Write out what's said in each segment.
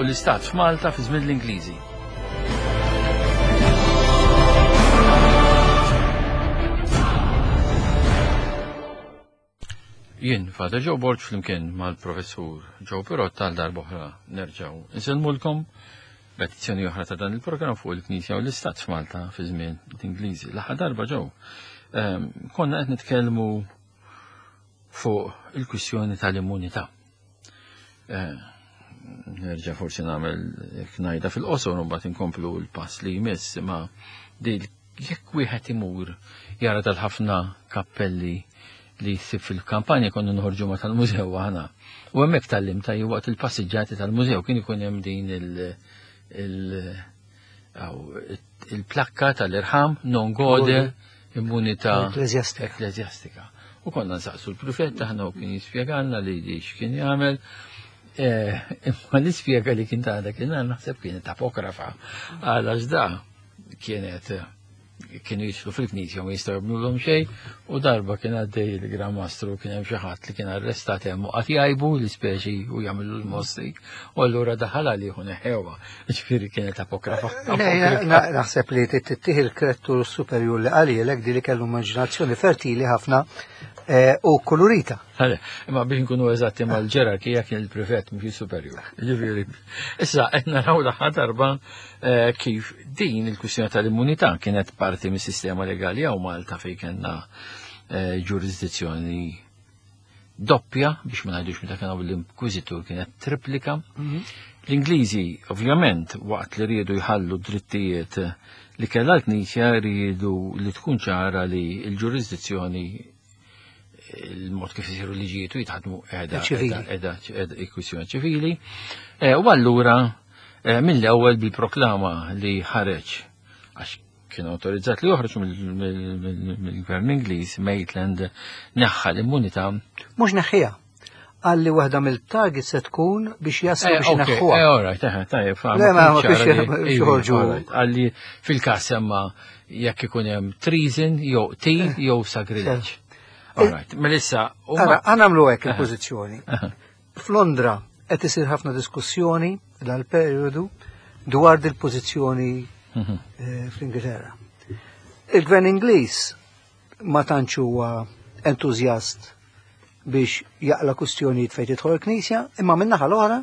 l-Istat f'Malta fi żmien l-Ingliżi. Jien, Father Joe Borg flimkien mal-Professur Joe Pirotta għal darb'oħra nerġgħu insellmulkom b'edizzjoni oħra ta' dan il-programm fuq il-Knisja u l-Istat f'Malta fi żmien l-Ingliżi. L-aħħar darba ġew ehm, konna qed nitkellmu fuq il-kwistjoni tal-immunità. Eh, nerġa' forsi nagħmel ngħidha fil-qosor u mbagħad inkomplu l-pass li jmiss imma di jekk wieħed imur jara dal-ħafna kappelli li jsib fil-kampanja konna nħorġu ma tal-mużew aħna. U hemmhekk tallim ta' waqt il-passiġġati tal-mużew kien ikun hemm din il-plakka tal-irħam non gode immunità Ekklesjastika. U konna nsaqsu l-prefett aħna u kien jispjegalna li di x'kien jagħmel. Eh, imma l-ispjega li kien ta' dak naħseb kienet apokrafa għalax da kienet kienu jidħlu fil-knisja ma jistgħu jagħmlulhom xejn u darba kien għaddej il-Gran Mastru kien hemm xi ħadd li kien arrestat hemm u qatt jgħibu l-ispeċi u jagħmlu l-mossi u allura daħal għalih u neħewha. Ġifieri kienet apokrafa. Naħseb li tittieħ il-krettur superjur li qalilek di li kellu immaġinazzjoni fertili ħafna eh, u kolorita. Imma biex nkunu eżatti mal-ġerarkija kien il-prefett mhux il-superjur. Ġifieri. Issa qed naraw l-aħħar darba eh, kif din il-kwistjoni tal-immunità kienet parti mis-sistema legali hawn Malta fejn kellna eh, ġurisdizzjoni doppja biex ma ngħidux meta kien l-inkwiżitur kienet triplika. Mhm. L-Ingliżi ovvjament waqt li riedu jħallu drittijiet li kellha l-Knisja riedu li tkun ċara li l-ġurisdizzjoni il-mod kif isiru liġijiet u jitħadmu edha edha edha kwistjoni ċivili. Eh, u allura eh, mill-ewwel bil-proklama li ħareġ għax kien autorizzat li joħroġ mill-gvern Ingliż Maitland neħħa l-immunità. Mhux neħħiha. Għalli waħda mill-target se tkun biex jaslu eh, biex neħħuha. Eh, all right, eh, tajjeb, Le, ma biex joħorġu. Għalli fil-każ semma jekk ikun hemm treason jew qtil eh. jew sagrileġġ. All right, Melissa. Ara, għanamlu hekk il-pożizzjoni. F'Londra qed isir ħafna diskussjoni dal-perjodu dwar dil-pożizzjoni mhm. eh, fl-Ingilterra. Il-Gvern Ingliż ma tantx huwa entużjast biex jaqla kustjonijiet fejn tidħol il-Knisja, imma min-naħa l-oħra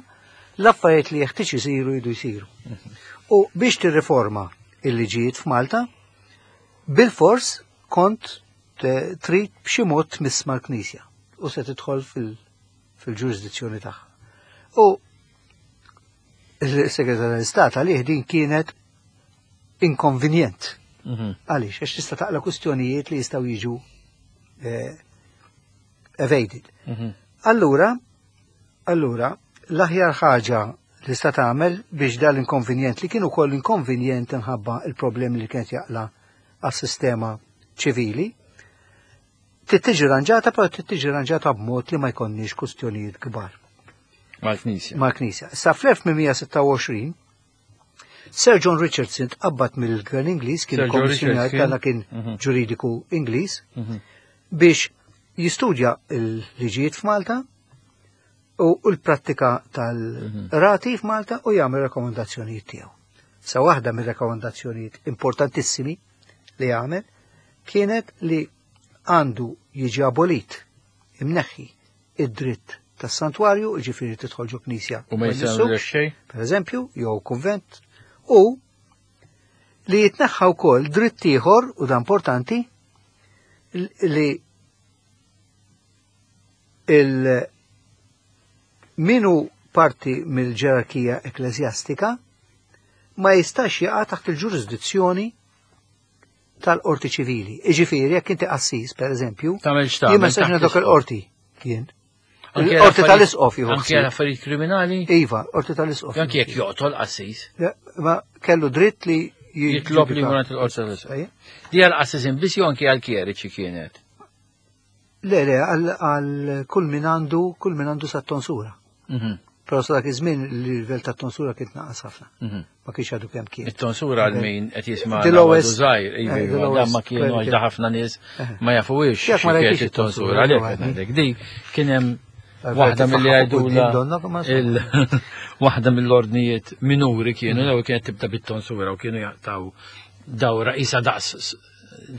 l-affarijiet li jeħtieġ isiru jridu jsiru. Mhm. U biex tirriforma il-liġijiet f'Malta, bil-fors kont trid b'xi mod tmiss mal-Knisja u se tidħol fil-ġurisdizzjoni tagħha. U il-Segretarju tal-Istat għalih din kienet inkonvenjent. Mhm. Għaliex, għax tista' taqla kustjonijiet li jistgħu jiġu eh, evaded. Mhm. Allura, allura, l-aħjar ħaġa li sta tagħmel biex dal-inkonvenjent li kienu koll inkonvenjent inħabba il-problemi li kienet jaqla għas-sistema ċivili, trid tiġi ranġata, però trid tiġi ranġata b'mod li ma jkollniex kustjonijiet kbar. Mal-Knisja. Mal-Knisja. Sa fl-1826 Sir John Richardson tqabbad mill-Gvern Ingliż kien kommissjonar tagħna kien mhm. ġuridiku Ingliż mhm. biex jistudja l-liġijiet f'Malta u l-prattika tal-rati mhm. f'Malta u jagħmel rakkomandazzjonijiet tiegħu. Sa waħda mir-rakkomandazzjonijiet importantissimi li għamel kienet li għandu jiġi abolit imneħħi id-dritt tas-santwarju, ġifieri tidħol ġo knisja. U ma jisawx xejn. Per eżempju, jew kunvent, u li jitneħħa wkoll dritt ieħor u dan importanti li il minu parti mill-ġerarkija ekklesjastika ma jistax jaqa' taħt il-ġurisdizzjoni tal-qorti ċivili. Iġifieri, jekk inti qassis, per eżempju, jien ma nistax dok il-qorti jien. Qorti tal-isqof jieħu. Anke għal affarijiet kriminali? Iva, qorti tal-isqof. Anke jekk joqtol qassis. Ma kellu dritt li jitlob li jmur il-qorti tal-isqof. Di għal qassis biss jew anke għal kjeriċi kienet? Le, le, għal kull min għandu, kull min għandu sa tonsura. Mhm. Però sa dak iż-żmien il-livell ta' tonsura kien tnaqqas ħafna. Mhm. Ma kienx għadu kemm kien. It-tonsura għal min qed jisma' għadu żgħir, eh, iva, dan ma kienu għax ħafna nies eh. ma jafuhiex ma rajtix it-tonsura għalhekk ngħidlek. Di kien hemm waħda milli għajdula. Waħda mill-ordnijiet minuri kienu, l-ewwel kienet tibda bit-tonsura u kienu jaqtaw dawra isa daqs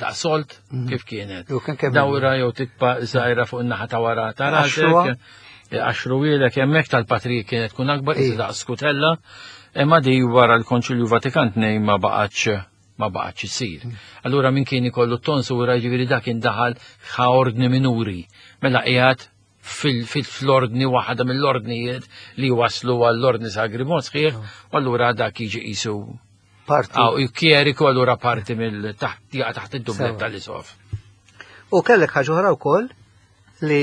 daqs solt kif kienet. Jew kien kemm Dawra jew tikpa żgħira fuq in-naħa ta' wara ta' Għaxruha. rasek. Għaxruwielek hemmhekk tal-patri kienet tkun akbar, isa Ija. daqs skutella. Imma di wara l-Konċilju Vatikan tnejn ma baqgħetx ma baqgħetx isir. Allura min kien ikollu t-tonsura jiġifieri dak indaħal ħa ordni minuri. Mela qiegħed fil-ordni waħda mill-ordnijiet li waslu għall-ordni sagri mod sħiħ, u allura dak jiġi qisu Parti. Aw, kjeriku allura parti mill taħt jaqa' taħt id-dublet Sewa. tal-isof. U kellek ħaġa oħra wkoll li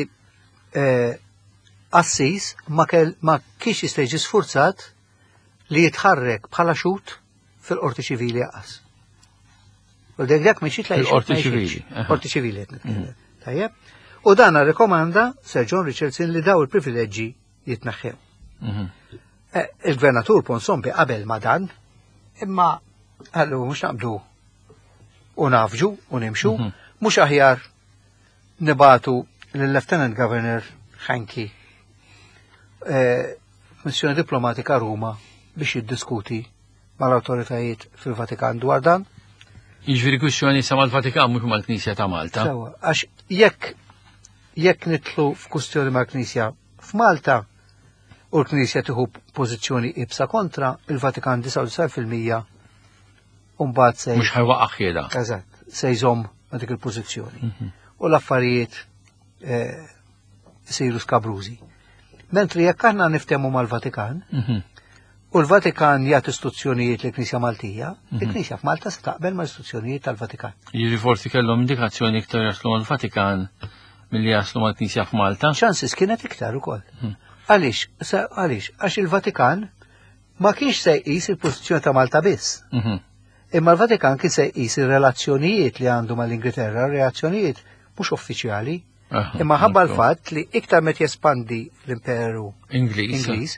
eh, Assis ma kell ma kienx jista' jiġi sfurzat li jitħarrek bħala xut fil-qorti ċivili qas. U dak dak minn xitla Fil-qorti ċivili, aha. Qorti ċivili qed nitkellem. Tajjeb. U dan rrekomanda Sir John Richardson li daw il-privileġġi jitneħħew. Eh, Il-gvernatur Ponsombi qabel ma dan, imma għallu mhux naqbdu u nafġu u nimxu, mhux aħjar nibatu lill-Lieutenant Governor Hanky eh, missjoni diplomatika Ruma biex jiddiskuti mal-autoritajiet fil-Vatikan dwar dan. Jiġifieri kwistjoni sa mal-Vatikan mhux mal-Knisja ta' Malta. Sewa, għax jekk jekk nitlu f'kustjoni mal-Knisja f'Malta u l-Knisja tieħu pożizzjoni ibsa kontra, il-Vatikan 99% u mbagħad se Mhux ħajwaqqa' ħiela. Eżatt, se jżomm ma' dik il-pożizzjoni. U l-affarijiet eh, isiru skabrużi. Mentri jekk aħna niftehmu mal-Vatikan, u l-Vatikan jagħti istruzzjonijiet lill-Knisja Maltija, il-Knisja f'Malta se taqbel ma' istruzzjonijiet tal-Vatikan. Jiġifieri forsi kellhom indikazzjoni iktar jaslu mal-Vatikan milli jaslu mal-Knisja f'Malta. Chances kienet iktar ukoll. Għaliex? Għaliex? Għax il-Vatikan ma kienx se jqis il-pożizzjoni ta' Malta biss. Imma l-Vatikan kien se jqis ir-relazzjonijiet li għandu mal-Ingilterra, relazzjonijiet mhux uffiċjali, imma ħabba l-fatt li iktar met jespandi l-Imperu Ingliż. Ingliż,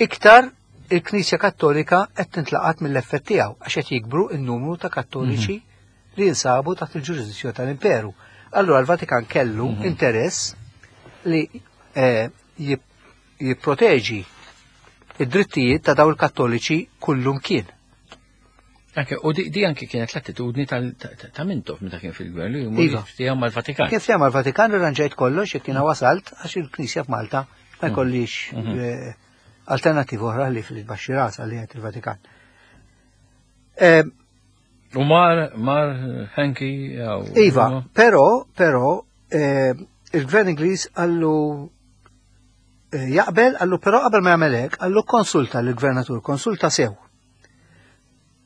iktar il-Knisja Kattolika qed tintlaqat mill-effett tiegħu għax qed jikbru n-numru ta' Kattoliċi li jinsabu taħt il-ġurisdizzjoni tal-Imperu. Allura l-Vatikan kellu interess li eh, jipproteġi id-drittijiet ta' daw il-Kattoliċi kullum kien. Anke, u di, di anke kienet l-attitudni ta' Mintoff meta kien fil-gvern li jmur Iva. jiftiehem mal-Vatikan. Kif jagħmel l-Vatikan irranġajt kollox jekk jiena wasalt għax il-Knisja f'Malta ma jkollix eh, alternativa oħra li fil-baxxi rasa li qed il-Vatikan. Eh, U mar, mar Henki jew. Iva, però, però, eh, il-gvern Ingliż għallu eh, jaqbel, għallu però qabel ma jagħmel hekk, għallu konsulta l-gvernatur, konsulta sew.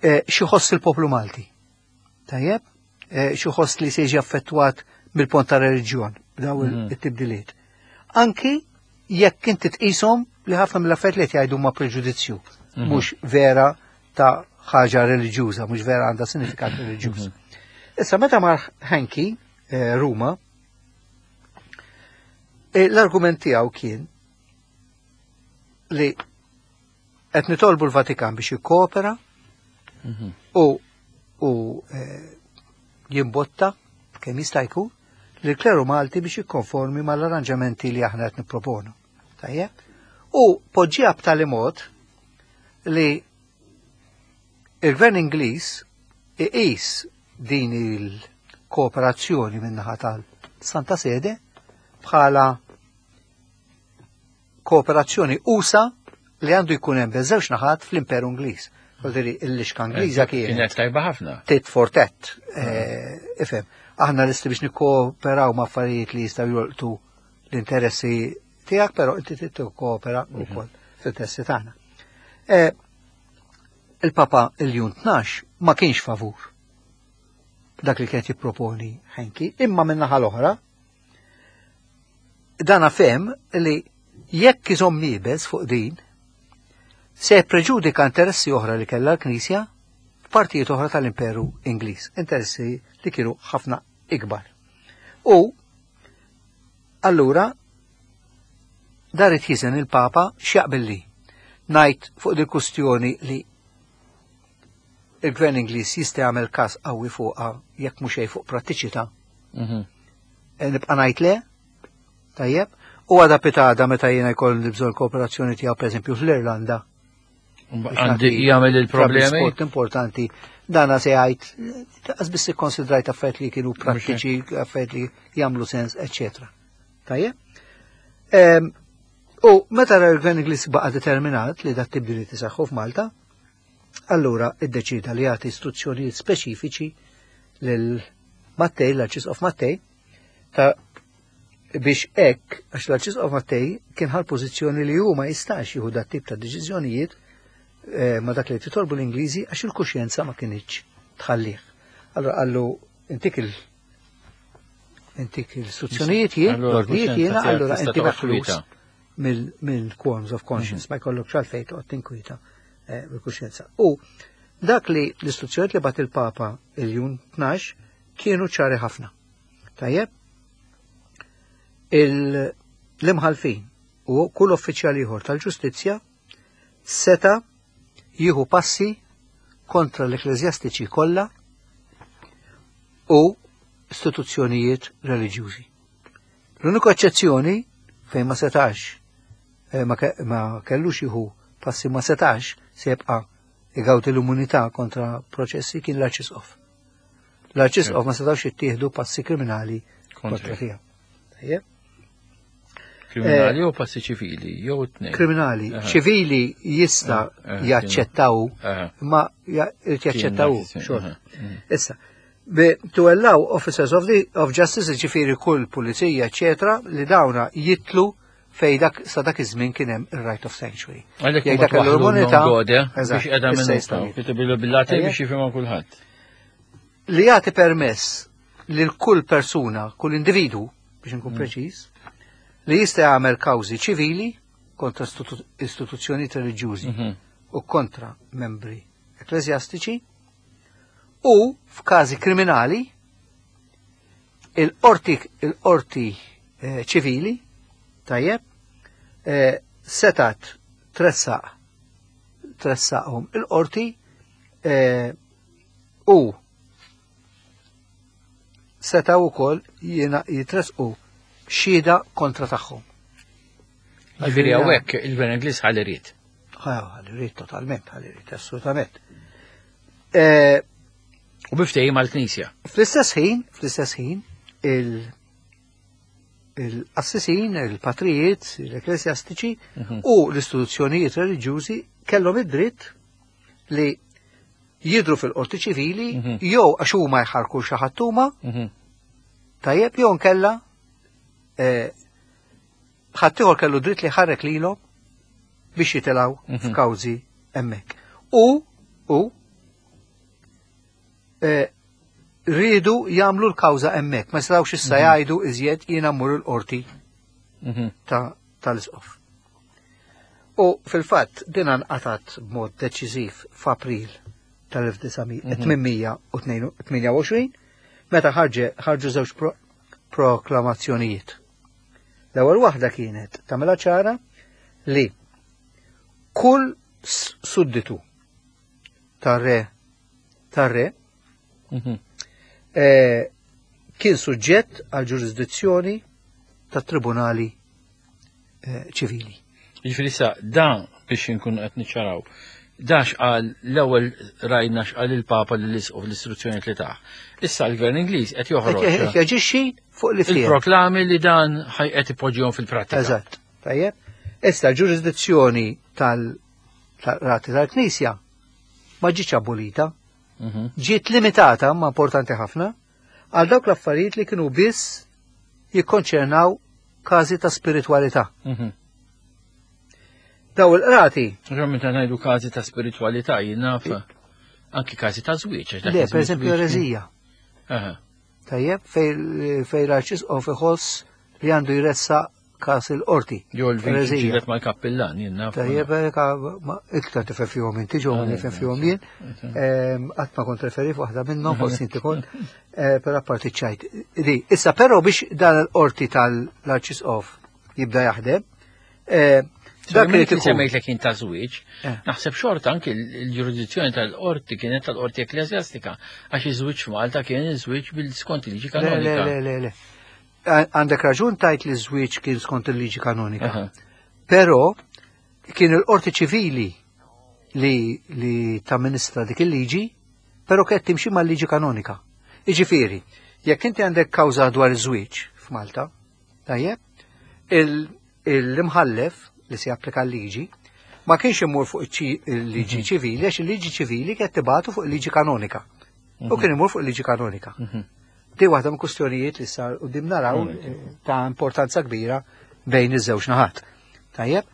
Eh, xi ħoss il-poplu Malti. Tajjeb? Eh, xi ħoss li se jiġi affettwat mill-pont ta' reliġjon daw it-tibdiliet. Anki jekk inti tqishom li ħafna mill-affarijiet li qed jgħidu ma' preġudizzju, mhux vera ta' ħaġa reliġjuża, mhux vera għandha sinifikat reliġjuż. Issa meta mar Hanky eh, Ruma, eh, l-argument tiegħu kien li qed nitolbu l-Vatikan biex jikkoopera u u eh, jimbotta kemm jista' jkun lill-kleru Malti biex jikkonformi mal-arranġamenti li aħna qed nipproponu. Tajjeb? U poġġiha b'tali mod li il-Gvern Ingliż iqis din il-kooperazzjoni min-naħa tal-Santa Sede bħala kooperazzjoni usa li għandu jkun hemm bejn żewġ naħat fl-Imperu Ingliż. Vuol il-lixka Ingliża kienet Kienet tajba ħafna. tit for tat. eh, Ifhem, aħna lesti biex nikkooperaw ma' affarijiet li jistgħu jolqtu l-interessi tiegħek, però inti trid tikkoopera wkoll fl-interessi tagħna. Eh, Il-Papa Iljun 12 ma kienx favur dak li kienet jipproponi Henki, imma min-naħa l-oħra dana fem li jekk iżomm iebes fuq din, se preġudika interessi oħra li kellha l-Knisja f'partijiet oħra tal-Imperu Ingliż, interessi li kienu ħafna ikbar. U allura daret jiżen il-Papa x'jaqbel li ngħid fuq dil kustjoni li il-Gvern Ingliż jista' jagħmel każ qawwi fuqha jekk mhux xejn fuq prattiċità. Eh, Nibqa' ngħid le, tajjeb, u għada pitada meta jiena jkollu bżonn kooperazzjoni tiegħu pereżempju fl-Irlanda. Għandi jagħmel il-problemi. Sport importanti. Dana se jgħid, għaz biss ikkonsidrajt affarijiet li kienu prattiċi, affarijiet li jagħmlu sens, eċetera. Tajjeb? U meta l-Gvern Ingliż baqa' determinat li dat tibdiliet isaħħu f'Malta, allura iddeċida li jagħti istruzzjonijiet speċifiċi lil Mattei, l-Arċisqof Mattei, ta' biex hekk, għax l-Arċisqof Mattei kien ħal pożizzjoni li hu ma jistax jieħu dat tip ta' deċiżjonijiet eh, ma dak li titolbu l-Ingliżi għax il-kuxjenza ma kinitx tħallih. Allora qallu intik il intik l-istruzzjonijiet jien, l-ordnijiet jiena, allura inti meħlus mill-qualms of conscience, ma jkollok xalfejn toqgħod tinkwita eh, bil-kuxjenza. U dak li l-istruzzjonijiet li bat il-Papa il-Jun 12 kienu ċari ħafna. Tajjeb, l-imħalfin u kull uffiċjal ieħor tal-ġustizzja seta jieħu passi kontra l-ekklesjastiċi kollha u istituzzjonijiet reliġjużi. L-uniku eċċezzjoni fejn ma setax eh, ma kellux jieħu passi ma setax se jibqa' igawdi l-immunità kontra proċessi kien l-arċisqof. L-arċisqof ma setawx jittieħdu passi kriminali kontra tiegħu. Tajjeb. Kriminali eh, jew passi ċivili, jew tnejn. Kriminali. Ċivili jista' eh, eh, jaċċettaw, ma jaċċettaw xorta. Mm. Issa, to allow officers of, the, of justice, ġifiri kull pulizija, eccetera, li dawna jitlu fej dak sa dak iż-żmien kien hemm ir-right of sanctuary. Għalhekk dak l-immunità biex qiegħda minnu bil-lati biex jifhimha kulħadd. Li jagħti permess lil kull persuna, kull individu, biex nkun mm. preċiż, li jista' jagħmel kawżi ċivili kontra istituzzjonijiet reliġjużi mhm. u kontra membri ekklesjastiċi u f'każi kriminali il-qorti il-qorti eh, ċivili tajjeb eh, setat tressaq tressaqhom il-qorti eh, u setgħu wkoll jitresqu xhieda kontra tagħhom. Ġifieri hawnhekk il-Gvern Ingliż ħalli ried. Ħalli ried totalment, ħalli ried assolutament. Eh, u biftejjim mal-Knisja. Fl-istess ħin, fl-istess ħin, il-qassisin, il-patrijiet, l-ekklesjastiċi mhm. u l-istituzzjonijiet reliġjużi kellhom id-dritt li jidru fil-qorti ċivili mhm. jew għax huma jħarku xi ħadd huma mhm. tajjeb jew nkella eh, ħaddieħor kellu dritt li ħarrek lilhom biex jitilgħu mhm. f'kawżi hemmhekk. U u eh, rridu jagħmlu l-kawża hemmhekk, ma jistgħux issa jgħidu iżjed jiena mmur il-qorti tal-isqof. U fil-fatt din nqatgħet b'mod deċiżiv f'April tal-1928 meta ħarġu żewġ proklamazzjonijiet. L-ewwel waħda kienet tagħmilha ċara li kull sudditu tar-re tar-re mhm. eh, kien suġġett għal ġurisdizzjoni tat-tribunali eh, ċivili. Jiġifieri sa dan biex inkunu qed niċċaraw. Dax qal l-ewwel rajna x'qal il-Papa lil isqof l-istruzzjoni li taħ. Issa l-Gvern Ingliż qed joħroġ. Qed jaġixxi fuq li Il-proklami li dan qed ipoġġihom fil-prattika. Eżatt. Tajjeb. Issa l-ġurisdizzjoni tal-rati tal-Knisja ma ġietx abolita. Mhm. Ġiet limitata, ma importanti ħafna, għal dawk l-affarijiet li kienu biss jikkonċernaw każi ta' spiritwalità. Mhm. Daw il-qrati. Ġo meta ngħidu każi ta' spiritwalità jien naf anki każi ta' żwieġ. Le, per eżempju erezija. Tajjeb, fej l-arċisqof iħoss li għandu jressa każ il-qorti. Jo l-viċi ġilet mal-kappillan, jien naf. Tajjeb, iktar tifhem fihom inti ġew ma nifhem fihom jien. Qatt ma kont referi f'waħda minnhom, forsi inti kont, eh, però apparti ċajt. Di, issa però biex dan il-qorti tal-Arċisqof jibda jaħdem, eh, Dak li semmejt li kien ta' żwieġ, eh. naħseb xorta anki l-ġurisdizzjoni tal-qorti kienet tal-qorti ekklesjastika, għax iż-żwieġ f'Malta kien iż-żwieġ bil-skont il-liġi kanonika. Le, le, le, le. Għandek raġun tajt li żwieġ kien skont il-liġi kanonika. Però kien il-qorti ċivili. li tamministra dik il-liġi, però kienet timxi mal-liġi kanonika. Iġifieri, jekk inti għandek kawża dwar iż-żwieġ f'Malta, tajjeb, l-imħallef li se japplika l-liġi ma kienx imur fuq il-liġi ċivili għax il-liġi ċivili kienet tibatu fuq il-liġi kanonika. U kien imur fuq il-liġi kanonika. Di waħda mill kustjonijiet li sar quddiem naraw ta' importanza kbira bejn iż-żewġ naħat. Tajjeb,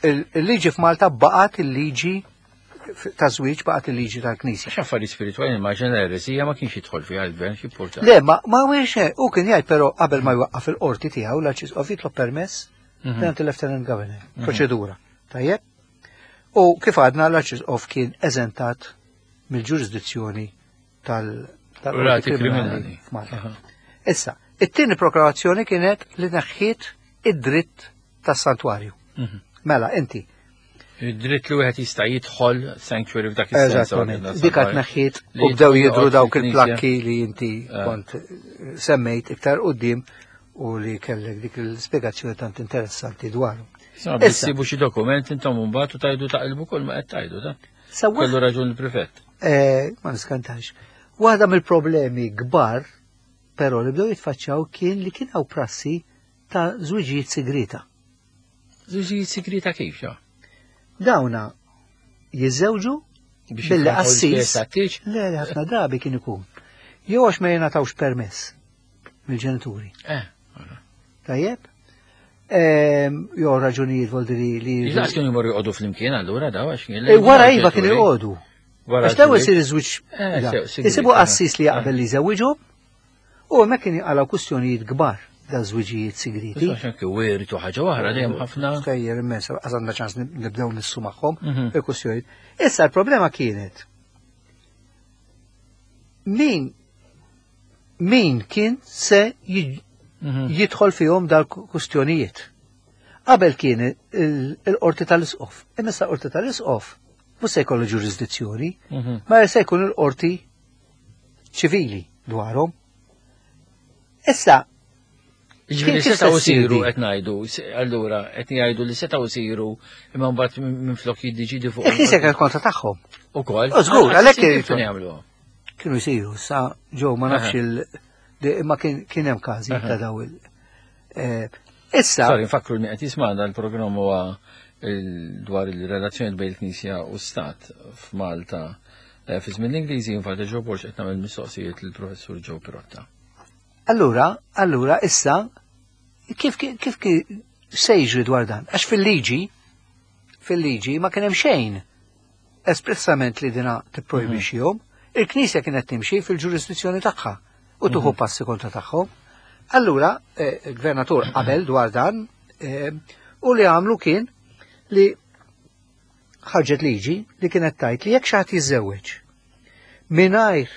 il-liġi f'Malta baqgħet il-liġi ta' żwieġ baqgħet il-liġi tal-Knisja. Għax affarijiet spiritwali immaġina l-eresija ma kienx jidħol fiha l-gvern xi porta. Le, ma wiex u kien jgħid però qabel ma jwaqqaf il-qorti tiegħu l-Arċisqof jitlob permess mingħand il-Lieutenant Governor, proċedura. Tajjeb? U kif għadna l-Arċisqof kien eżentat mill-ġurisdizzjoni tal-qorti kriminali f'Malta. Issa, it-tieni proklamazzjoni kienet li neħħiet id-dritt tas-santwarju. Mela, inti. Id-dritt li wieħed jista' jidħol sanctuary f'dak is-sens. Eżattament. Dik qed neħħiet u bdew jidhru dawk il-plakki li inti kont semmejt iktar quddiem u li kellek dik l-spjegazzjoni tant interessanti dwaru. Issa, sibu xi dokument intom mbagħad u tajdu taqilbu kull ma qed tajdu ta'. Kellu raġun il-prefett. Ma niskantax. Waħda mill-problemi kbar però li bdew jitfaċċaw kien li kien hawn prassi ta' żwiġijiet sigrita. Żwiġijiet sigrita kif ġa? Dawna jiżżewġu billi qassis. Le, ħafna drabi kien ikun. Jew għax ma jingħatawx permess mill-ġenituri. Tajjeb? Jew raġunijiet voldiri li. Iżda kienu jmorru joqogħdu flimkien allura daw għax kien. Wara iva kienu joqogħdu. Għax daw isir iż-żwieġ. Isibu qassis li jaqbel li jżewwiġhom u hemmhekk kien jinqalgħu kwistjonijiet kbar da żwiġijiet sigriti. Għax anke wirtu ħaġa oħra dejjem ħafna. Stejjer immens, għandna ċans nibdew nissu magħhom il-kwistjonijiet. Issa l-problema kienet min kien se jidħol fihom dal-kustjonijiet. Qabel kien il-qorti tal-isqof. Imma issa qorti tal-isqof mhux se jkollu ġurisdizzjoni, ma se jkun il-qorti ċivili dwarhom. Issa, Ġifieri setgħu isiru qed ngħidu, allura qed jgħidu li setgħu isiru imma mbagħad minflok jiddeċidi fuq. Il-Knisja kienet kontra tagħhom. Ukoll. Żgur, għalhekk kienu jagħmlu. Kienu jsiru, sa ġew ma nafx il imma kien hemm każi ta' daw il. Issa. Sorry, nfakru li qed jisma'na l-programm huwa dwar il-relazzjoni bejn il-Knisja u Stat f'Malta. Fi żmien l-Ingliżi infatti Joe Borg qed nagħmel mistoqsijiet lill-Professur Joe Pirotta. Allura issa kif se jiġri dwar dan? Għax fil-liġi ma kien hemm xejn espressament li dina tipprojbixxihom. Il-Knisja kienet timxi fil-ġurisdizzjoni tagħha u tuħu passi kontra tagħhom. Allura, il-gvernatur qabel dwar dan u li għamlu kien li ħarġet liġi li kienet tajt li jekk xi ħadd jiżżewweġ mingħajr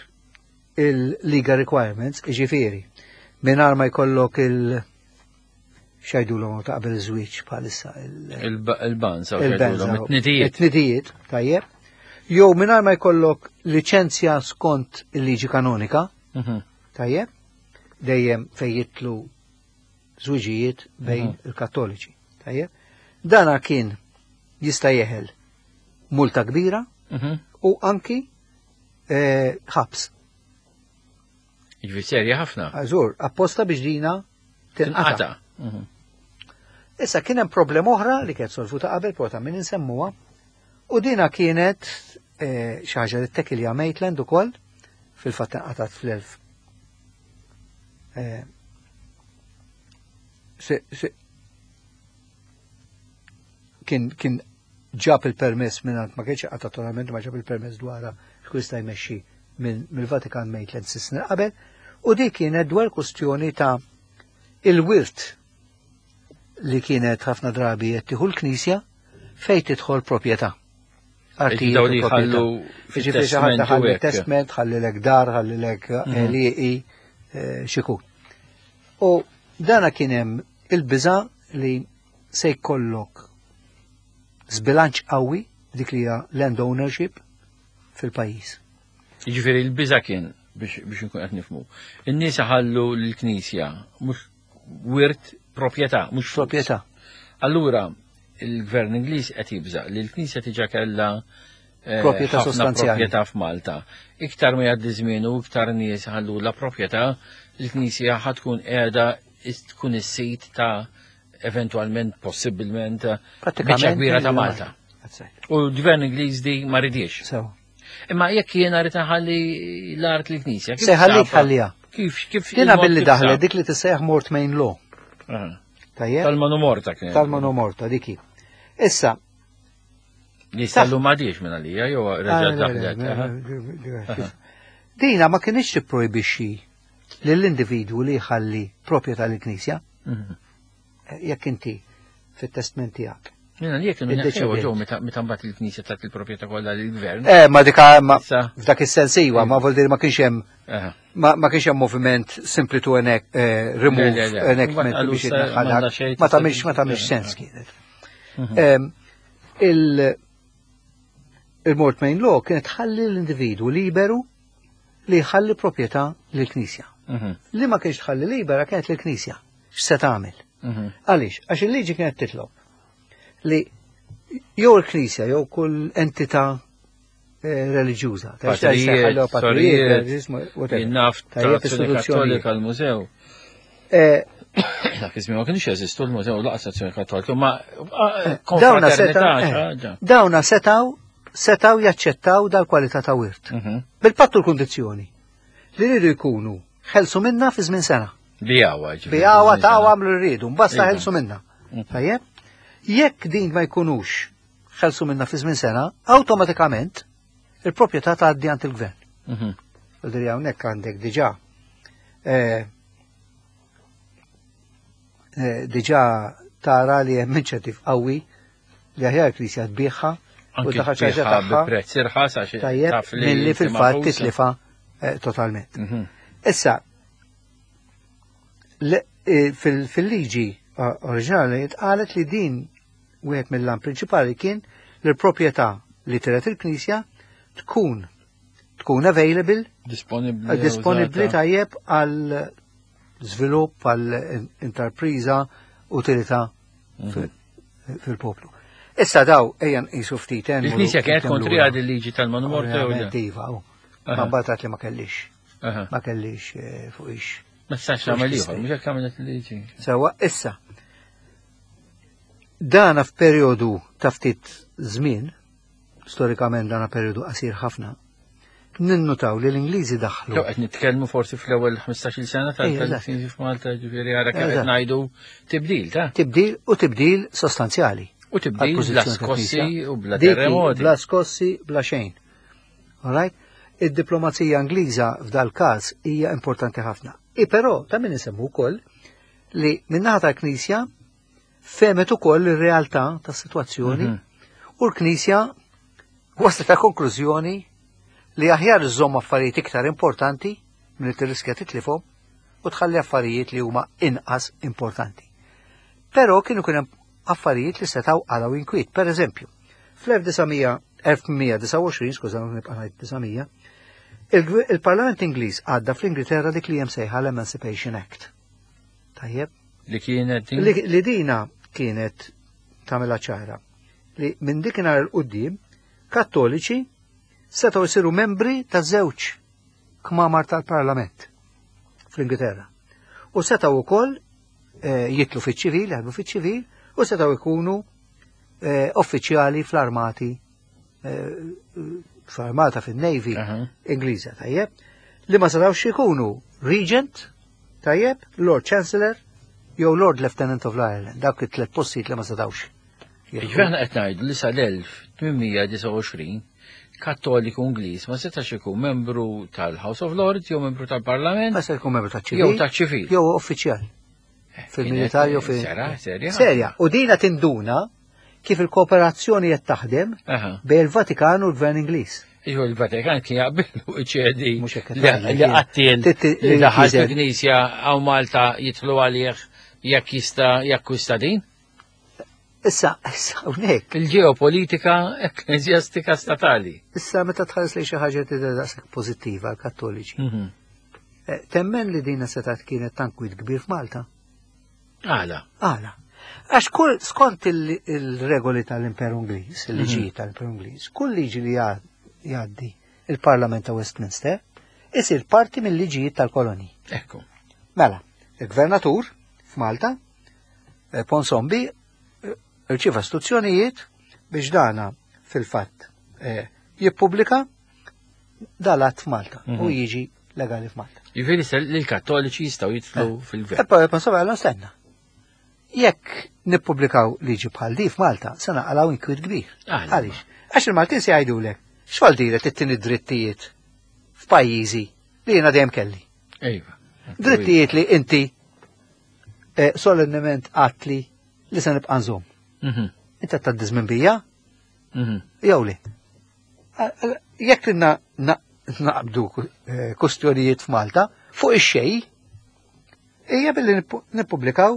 il-legal requirements, jiġifieri, mingħajr ma jkollok il- x'jgħidulhom ta' qabel iż-żwieġ bħalissa il-banz, it-tnidijiet. It-tnidijiet, tajjeb. Jew mingħajr ma jkollok liċenzja skont il-liġi kanonika, tajjeb, dejjem fejn jitlu żwiġijiet bejn il-Kattoliċi, tajjeb. Dana kien jista' jeħel multa kbira u anki ħabs. Jiġifieri serja ħafna. Żgur, apposta biex dina tinqata'. Issa kien hemm problema oħra li kienet solvuta qabel, però ta' min insemmuha, u dina kienet xi ħaġa li ttekilja Maitland ukoll, fil-fatt inqatat fl-elf. Kien ġab il-permess minn ma kienx qata totalment, ma ġab il-permess dwarha x'kun jista' jmexxi mill-Vatikan Maitland snin qabel, u di kienet dwar kustjoni ta' il-wirt li kienet ħafna drabi qed tieħu l-Knisja fejn tidħol proprjetà. Artijiet li ħallu fit-testament, testament, ħallilek dar, ħallilek għelieqi, xikun. U dana kien hemm il-biża' li se jkollok żbilanċ qawwi dik li hija land ownership fil-pajjiż. Jiġifieri l-biża' kien biex nkun qed nifhmu. In-nies ħallu l-Knisja mhux wirt proprjetà, mhux proprjetà. Allura, Il-gvern Ingliż qed jibża' li l-Knisja diġà kellha eh, Proprjetà ħafna sostanzjali. proprjetà f'Malta. Iktar ma jgħaddi żmien u iktar nies ħallu la proprjetà, il-Knisja ħa tkun qiegħda tkun is-sit ta' eventwalment, possibilment, biċċa kbira ta' Malta. That's right. U l-gvern Ingliż di ma ridiex. So, Imma jekk jiena rrid ħalli l-art l-Knisja. kif Se ħallik safa? ħalliha. Kif kif Dina il-mod billi kif daħlet sab? dik li tissejjaħ Mortmain Law. Aha. Tajjeb? Tal-manu morta kien. Tal-manu morta diki. Issa, Li sallu m'għadix minn għalija jew reġa' Ah, le, le, daħlet. le, aha. le, le, Dina ma kienx tipprojbixxi lill-individwu li jħalli proprjetà lill-Knisja jekk inti fit-testment tiegħek. Minna li jekk kienu Iddeċidiet. neħħew ġew meta meta mbagħad il-Knisja tat il-proprjetà kollha lill-gvern. Eh, ma dika ma Issa. f'dak is-sens iwa, ma vuol dire ma kienx hemm Aha. ma kienx hemm moviment simply to enact, eh, remove Le, le, le. enactment Mbagħad qalu biex sa- jitneħħalak. m'għandha xejn Ma tista' tagħmilx ma tagħmilx eh, sens eh. kienet. Em, Il il-Mortmain Law kienet ħalli l-individwu liberu li jħalli proprjetà lill-Knisja. Li ma kienx tħalli libera kienet lill-Knisja. X'se tagħmel? Għaliex? Għax il-liġi kienet titlob li jew il-Knisja jew kull entità eh, reliġjuża, ta' x'ta' Patrijiet, jseħħalhom patrijiet, sorijiet, reliġjuż, whatever. Jinnaf Tajjeb, tal-Azzjoni istituzzjonijiet. Kattolika l-mużew. Eh, Dak iż-żmien ma kienx jeżistu l-mużew laqas Azzjoni Kattolika, ma Dawna konfraternità seta' xi eh, ħaġa. dawna setaw setaw jaċċettaw dal-kwalità ta' wirt. Bil-pattu l-kundizzjoni li rridu jkunu ħelsu minna fi żmien sena. Bijawa, ġifieri. Bijawa ta' għamlu rridu, mbasta Iva. ħelsu minna. Tajjeb? Jekk din ma jkunux ħelsu minna fi żmien sena, awtomatikament il-proprjetà tgħaddi għand il-gvern. U diri hawnhekk għandek diġà eh, eh, diġà tara li hemm inċentiv qawwi li aħjar il-Knisja tbieħha u Anki daħal xi ħaġa tbieħha tagħha bi prezz irħas għax tajjeb taf li milli inti fil-fatt maħusa. titlifa eh, totalment. Issa, eh, fil-liġi eh, oriġinali tqalet li din wieħed mill-lan prinċipali kien li l-proprjetà li tiret il-Knisja tkun tkun available, Disponibbli. eh, disponibbli użata. tajjeb għal żvilupp għal interpriża utilità fil-poplu. Issa daw ejja nqisu ftit eh, Il-Knisja kienet nmur kontri lura. għad il-liġi tal-manu morta u le? Ovvjament, iva, u. Aha. Ma mbagħad li ma kellix. Aha. Ma kellix eh, fuq ix. Ma tistax tagħmel ieħor, mhux hekk għamlet il-liġi. Sewa, issa. Dana f'perjodu ta' ftit żmien, storikament dana perjodu qasir ħafna, ninnutaw li l-Ingliżi daħlu. Jew qed nitkellmu forsi fl-ewwel 15-il sena Ejja, eżatt. tal-Knisja f'Malta, ġifieri ara kemm qed Eżatt. ngħidu tibdil ta' Tibdil u tibdil sostanzjali. U tibdil bla għall-pożizzjoni skossi tal-Knisja. u bla Dik hi, terremoti. Bla skossi, bla xejn. All right? Id-diplomazija Ingliża f'dal każ hija importanti ħafna. I però ta' min insemmu wkoll li min-naħa tal-Knisja femet ukoll ir-realtà tas-sitwazzjoni u l-Knisja waslet ta' konklużjoni li aħjar iżżomm affarijiet iktar importanti milli tirriskja titlifhom u tħalli affarijiet li huma inqas importanti. Però kienu kien hemm affarijiet li setgħu għalaw inkwiet. Per eżempju, fl-1829, skuża nibqa' ngħid 900, il-Parlament Ingliż għadda fl-Ingilterra dik li hemm sejħa l-Emancipation Act. Tajjeb, Li kienet din. li, li dina kienet tagħmilha ċara li minn dikinhar il qudiem kattoliċi setgħu jsiru membri ta' żewġ kmamar tal-Parlament fl-Ingilterra. U setgħu wkoll eh, jitlu fiċ-ċivil, jaħdmu fiċ-ċivil, u setgħu jkunu eh, uffiċjali fl-armati eh, fl-armata fin-Navy Aha. Ingliża, tajjeb, li ma setgħux ikunu Regent, tajjeb, Lord Chancellor, jew Lord Lieutenant of Ireland, dawk it-tlet postijiet li ma setgħux. Ġifieri aħna qed ngħidu li sal-1829 Kattoliku Ingliż ma setax ikun membru tal-House of Lords jew membru tal-Parlament Ma se jkun membru ta' ċivil. jew taċ-ċivil. Jew uffiċjal. Fil-militar jew fil. Sera, serja. Serja. U dina tinduna kif il-kooperazzjoni qed taħdem Aha. bejn il-Vatikan u l-Gvern Ingliż. Iġu il-Vatikan kien jaqbillu iċedi Mhux hekk qed li ngħid, li jien. qattil Titti- li daħal il-Knisja. fil-Knisja għaw Malta jitlu għalih jekk jista' jekk jista' din. Issa, issa hawnhekk. Il-ġeopolitika ekkleżjastika statali. Issa meta tħares li xi ħaġa tidher daqshekk pożittiva għall-Kattoliċi. Eh, Temmen li dina setat kienet tankwit kbir f'Malta. Għala. Għala. Għax kull skont il-regoli tal-Imperu Ingliż, il-liġi tal-Imperu Ingliż, kull liġi li jgħaddi il-Parlament ta' Westminster isir parti mill-liġijiet tal-koloni. Ekku. Mela, il-gvernatur f'Malta, Ponsonby, irċieva istruzzjonijiet biex dana fil-fatt jippubblika dal-att f'Malta u jiġi legali f'Malta. Jiġifieri se l-Kattoliċi jistgħu jidħlu fil-gvern. E poi Ponsonby għalhom stenna. Jekk nippubblikaw liġi bħal di f'Malta, se naqalgħu inkwiet kbir. Għaliex? Għax il-Maltin se jgħidulek, x'għal diret it-tieni drittijiet f'pajjiżi li jiena dejjem kelli. Ejva. Drittijiet li inti solennement għatli li se nibqa' nżomm. Inti qed tgħaddi żmien bija? Jew li? Jekk naqbdu kustjonijiet f'Malta fuq ix-xejn, hija billi nippubblikaw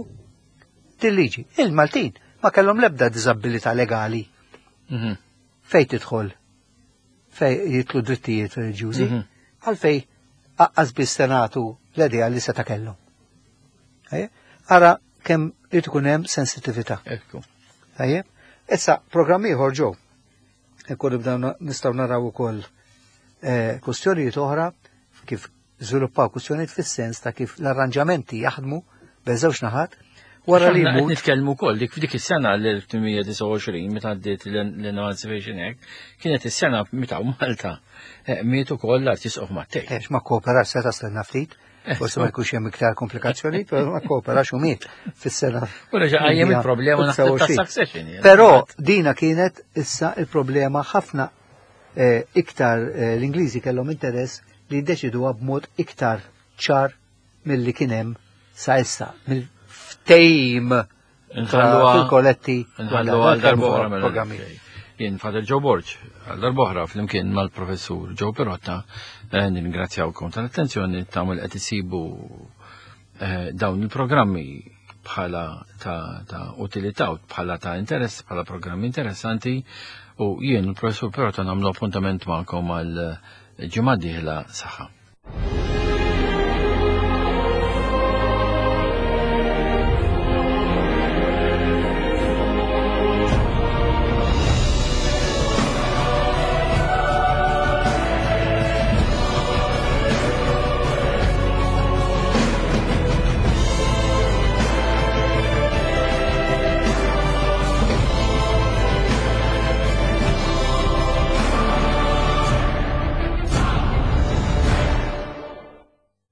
til-liġi. Il-Maltin ma kellhom l-ebda diżabilità legali fejn tidħol fej jitlu drittijiet reliġjużi, għalfej aqqas biss senatu l-idea li seta' kellhom. Ara kemm irid ikun hemm sensitività. Ekku. Tajjeb? Issa programm ieħor ġew. Ikun nibdew nistgħu naraw ukoll kwistjonijiet oħra kif żviluppaw kwistjonijiet fis-sens ta' kif l-arranġamenti jaħdmu bejn żewġ naħat wara li Aħna qed jmut. nitkellmu wkoll dik f'dik is-sena l-1829 meta għaddiet l-Emancipation Act, kienet is-sena meta Malta miet ukoll l-Arċisqof Mattei. Ex ma kooperax seta' stenna ftit, forsi ma jkunx hemm iktar komplikazzjoni, però ma kooperax u miet fis-sena. U reġa' qajjem il-problema naħseb ta' 29. succession, jien. Però dina kienet issa il-problema ħafna iktar l-Ingliżi kellhom interess li jiddeċiduha b'mod iktar ċar milli kien hemm sa issa, mill-ftehim fil-koletti Nħallu għal darba mela. programmi. Jien Father Joe Borg, għal darba flimkien mal-professur Joe Pirotta, nirringrazzjawkom tal-attenzjoni tagħmel qed isibu dawn il-programmi bħala ta' utilità u bħala ta' interess, bħala programmi interessanti, u jien il-professur Pirotta nagħmlu appuntament magħkom għal ġimgħa dieħla saħħa.